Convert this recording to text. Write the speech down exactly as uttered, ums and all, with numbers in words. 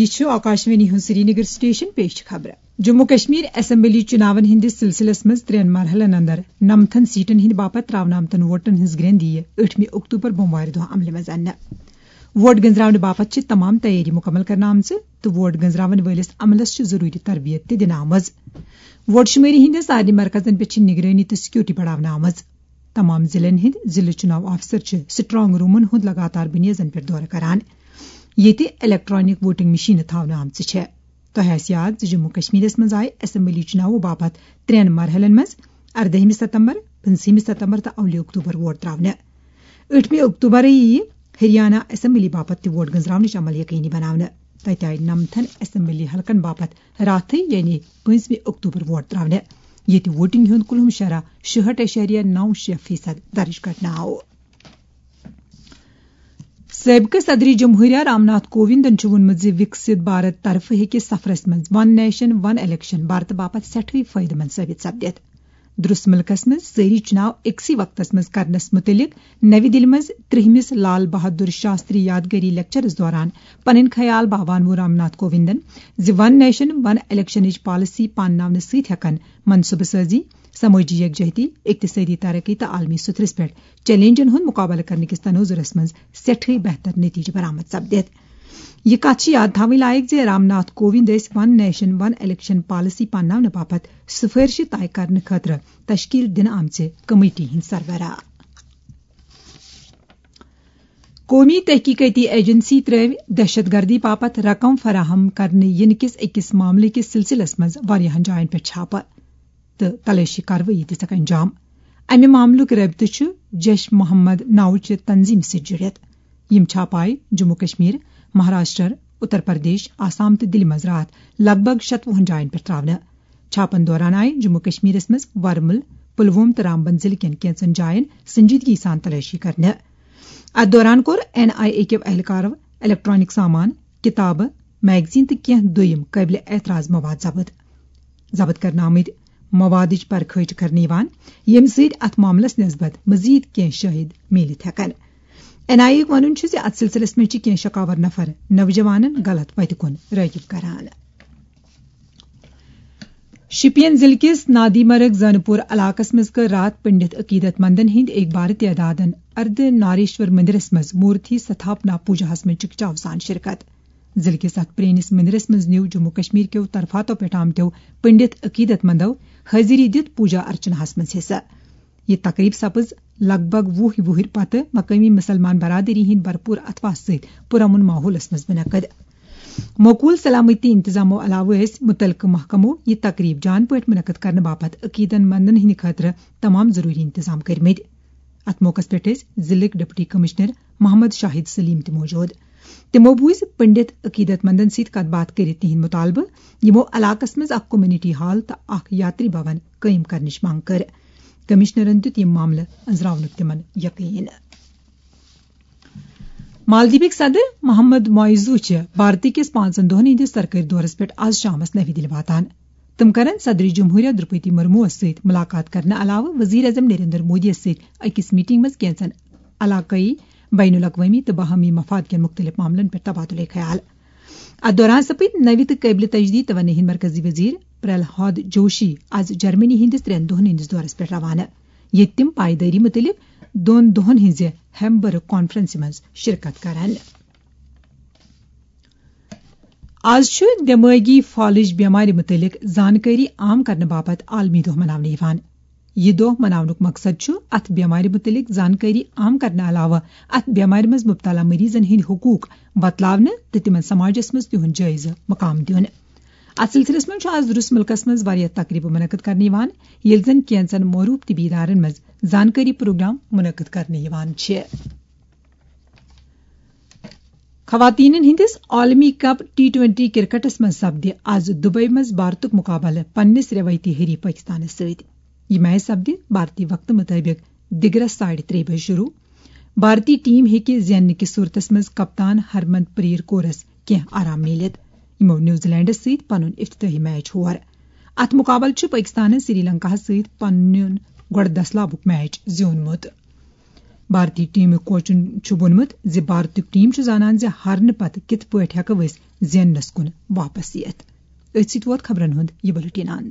یہِ چھُ آکاشوانی ہُنٛد سرینگر سٹیشن، پیش چھِ خبرٕ۔ جموں کشمیر اسمبلی چُناون ہٕنٛدِس سلسلس منٛز ترٛٮ۪ن مرحلن اندر نمتھن سیٹن ہٕنٛدِ باپتھ تراونہٕ آمتن ووٹن ہٕنٛز گرٛٮ۪ن یِیہِ ٲٹھمہِ اکتوبر بوموارِ دۄہ عملہِ منٛز اننہٕ۔ ووٹ گنزراونہٕ باپتھ چھِ تمام تیٲری مکمل کرنہٕ آمژٕ تہٕ ووٹ گنزراون وٲلِس عملس چھِ ضروٗری تربیت تہِ دِنہٕ آمٕژ۔ ووٹ شُمٲری ہٕنٛدٮ۪ن سارنٕے مرکزن پٮ۪ٹھ چھِ نگرٲنی تہٕ سیکورٹی بڑاونہٕ آمٕژ۔ تمام ضلعن ہٕنٛدۍ ضلعہٕ چُناو آفیسر چھِ سٹرانگ رومن ہُنٛد لگاتار بُنیٲدن پٮ۪ٹھ دورٕ کران، ییٚتہِ الیکٹرانک ووٹنگ مشینہٕ تھاونہٕ آمژٕ چھےٚ۔ تۄہہِ آسہِ یاد زِ جموں کشمیرس منٛز آیہِ اسمبلی چُناوو باپتھ ترٛٮ۪ن مرحلن منٛز اردٲہمہِ ستمبر، پٕنٛژٕہمہِ ستمبر تہٕ اولہِ اکتوبر ووٹ تراونہٕ۔ ٲٹھمہِ اکتوبرٕے یِیہِ ہریانہ اسمبلی باپتھ تہِ ووٹ گنزراونٕچ عمل یقینی بناونہٕ۔ تتہِ آیہِ نمتھن اسمبلی حلقن باپتھ راتھٕے، یعنی پٲنٛژمہِ اکتوبر ووٹ تراونہٕ، ییٚتہِ ووٹنگ ہُنٛد کُلہُم شرح شُہٲٹھ اعشاریہ نو شےٚ فیصد درج کرنہٕ آو۔ سٲبقہٕ صدر جمہوریہ رام ناتھ کووندن چھُ ووٚنمُت زِ وِکسِت بھارت طرفہٕ ہیٚکہِ سفرس منٛز ون نیشن ون الیکشن بھارتہٕ باپتھ سٮ۪ٹھٕے فٲیدٕ مند ثٲبت سپدِتھ۔ درست مُلکس منٛز سٲری چُناو أکسٕے وقتس منٛز کرنس مُتعلق نَوِ دِلہِ منٛز ترٛہمِس لال بہادُر شاستری یادگٲری لیکچرس دوران پنٕنۍ خیال باوان ووٚن رام ناتھ کووِندن زِ ون نیشن ون الیکشنٕچ پالیسی پانناونہٕ سۭتۍ ہٮ۪کن منصوبہٕ سٲزی، سمٲجی یکجہتی، اقتصٲدی ترقی تہٕ عالمی سطحس پٮ۪ٹھ چیلنجن ہُنٛد مقابلہٕ کرنہٕ کِس تناظرس منٛز سٮ۪ٹھٕے بہتر نتیجہٕ برآمد سپدِتھ۔ یہِ کتھ چھِ یاد تھاوٕنۍ لایق زِ رام ناتھ کووِند ٲسۍ ون نیشن ون الیکشن پالیسی پانناونہٕ باپتھ سفٲرشہِ طے کرنہٕ خٲطرٕ تشکیل دِنہٕ آمژِ کمیٹی ہٕنٛدۍ سربراہ۔ قومی تحقیقاتی ایجنسی ترٲوِ دہشت گردی باپتھ رقم فراہم کرنہٕ ینہٕ کِس أکِس معاملہٕ کِس سلسلس منٛز واریاہن جاین پٮ۪ٹھ چھاپہٕ تہٕ تلٲشی کاروٲیی دِژکھ انجام۔ امہِ معاملُک رٲبطہٕ چھُ جیش محمد ناوچہِ تنظیمہِ سۭتۍ جُڑِتھ۔ یِم چھاپہٕ آیہِ جموں کشمیر، مہاراشٹر، اتر پردیش، آسام تہٕ دِلہِ منٛز راتھ لگ بھگ شتوُہن جاین پٮ۪ٹھ تراونہٕ۔ چھاپن دوران آیہِ جموں کشمیرس منٛز ورمُل، پلووم تہٕ رامبن ضلعہٕ کٮ۪ن کینٛژن جاین سنجیدگی سان تلٲشی کرنہٕ۔ اتھ دوران کوٚر این آئی اے کیو اہلکارو الیکٹرانک سامان، کتابہٕ، میگزین تہٕ کینٛہہ دوٚیم قٲبلِ اعتراض مواد ضبط۔ ضبط کرنہٕ آمٕتۍ موادٕچ پرکھٲج کرنہٕ یِوان، ییٚمہِ سۭتۍ اتھ معاملس نسبت مزید کینٛہہ شٲہد میٖلِتھ ہٮ۪کن۔ این آئی اے یُک وَنُن چھُ زِ اتھ سلسلس منٛز چھِ کینٛہہ شکاور نفر نوجوانن غلط وتہِ کُن رٲغب کران۔ شپین ضلعہٕ کِس نادی مرگ زنہٕ پور علاقس منٛز کٔر راتھ پنڈت عقیدت مندن ہٕنٛدۍ اکبارٕ تعدادن اردٕ ناریشور مندرس منٛز مورتی ستھاپنا پوجاہس منٛز چکچاو سان شرکت۔ ضلعہٕ کِس اتھ پرٲنِس مندرس منٛز نیوٗ جموں کشمیر کیو طرفاتو پٮ۪ٹھ آمتیو پنڈت عقیدت مندو حٲضری دِتھ پوجا ارچناہس منٛز حصہٕ۔ یہِ تقریب سپٕز لگ بھگ وُہ وُہٕرۍ پتہٕ مقٲمی مسلمان برادری ہٕنٛدۍ بھرپور اتھواسہٕ سۭتۍ پرامن ماحولس منٛز منعقد۔ موکول سلامتی انتظامو علاوٕ ٲسۍ متعلقہٕ محکمو یہِ تقریب جان پٲٹھۍ منعقد کرنہٕ باپتھ عقیدن مندن ہٕنٛدِ خٲطرٕ تمام ضروٗری انتظام کٔرمٕتۍ۔ اتھ موقعس پٮ۪ٹھ ٲسۍ ضلعٕکۍ ڈپٹی کمشنر محمد شاہد سلیم تہِ موجود۔ تِمو بوٗزۍ پنڈت عقیدت مندن سۭتۍ کتھ باتھ کٔرِتھ تِہنٛدۍ مطالبہٕ، یِمو علاقس منٛز اکھ کمیونٹی ہال تہٕ اکھ یاتری بھون قٲیِم کرنٕچ منٛگ کٔر۔ کمشنرن دیُت یہِ معاملہٕ أنٛزراونُک تِمن یقین۔ مالدیپٕکۍ صدر محمد معیزو چھِ بھارتی کِس پانٛژن دۄہن ہٕنٛدِس سرکٲرۍ دورس پٮ۪ٹھ از شامس نَوِ دِلہِ واتان۔ تِم کرن صدر جمہوریہ درپتی مرموس سۭتۍ ملاقات کرنہٕ علاوٕ وزیر اعظم نریندر مودیَس سۭتۍ أکِس میٹنگ منٛز کینٛژن علاقٲیی، بین الاقوٲمی تہٕ باہمی مفاد کٮ۪ن مُختٔلِف معاملن پٮ۪ٹھ تبادلہٕ خیال۔ اتھ دوران سپٕدۍ نٔوۍ تہٕ قٲبلِ تجدید توانٲیی ہٕنٛدۍ مرکزی وزیر پرلہاد جوشی از جرمنی ہٕنٛدِس ترٛٮ۪ن دۄہن ہٕنٛدِس دورس پٮ۪ٹھ روانہٕ، ییٚتہِ تِم پایدٲری مُتعلق دۄن دۄہن ہٕنٛزِ ہیمبرگ کانفرنسہِ منٛز شرکت کرن۔ از چھُ دمٲغی فالج بٮ۪مارِ مُتعلق زانکٲری عام کرنہٕ باپتھ عالمی دۄہ مناونہٕ یِوان۔ یہِ دۄہ مناونُک مقصد چھُ اتھ بٮ۪مارِ مُتعلق زانکٲری عام کرنہٕ علاوٕ اتھ بٮ۪مارِ منٛز مُبتلا مریضن ہٕنٛدۍ حقوق وۄتلاونہٕ تہٕ تِمن سماجس منٛز تِہُنٛد جٲیزٕ مقام دیُن۔ اتھ سلسلس منٛز چھُ از روٗس مُلکس منٛز واریاہ تقریبہٕ منعقد کرنہٕ یِوان، ییٚلہِ زن کینٛژن معروٗف طبی ادارن منٛز زانکٲری پروگرام منعقد کرنہٕ یِوان چھِ۔ خواتینن ہٕنٛدِس عالمی کپ ٹی ٹوئنٹی کرکٹس منٛز سپدِ از دبئی منٛز بھارتُک مقابلہٕ پننِس رٮ۪وٲیتی حریف پٲکِستانس سۭتۍ۔ یہِ میچ سپدِ بھارتی وقتہٕ مُطٲبِق دِگرس ساڑِ ترٛےٚ بجہِ شروع۔ بھارتی ٹیم ہیٚکہِ زیننہٕ کِس صورتس منٛز کپتان ہرمن پریٖت کورس کینٛہہ آرام میٖلِتھ۔ یِمو نیوزی لینڈس سۭتۍ پنُن افتتاحی میچ ہور۔ اتھ مقابلہٕ چھُ پٲکِستانن سری لنکاہس سۭتۍ پنُن گۄڈٕ دسلابُک میچ زیوٗنمُت۔ بھارتی ٹیمُک کوچن چھُ ووٚنمُت زِ بھارتُک ٹیم چھُ زانان زِ ہارنہٕ پتہٕ کِتھ پٲٹھۍ ہٮ۪کو أسۍ زیننس کُن واپس یِتھ۔ أتھۍ سۭتۍ ووت خبرن ہُنٛد یہِ بُلٹین اند۔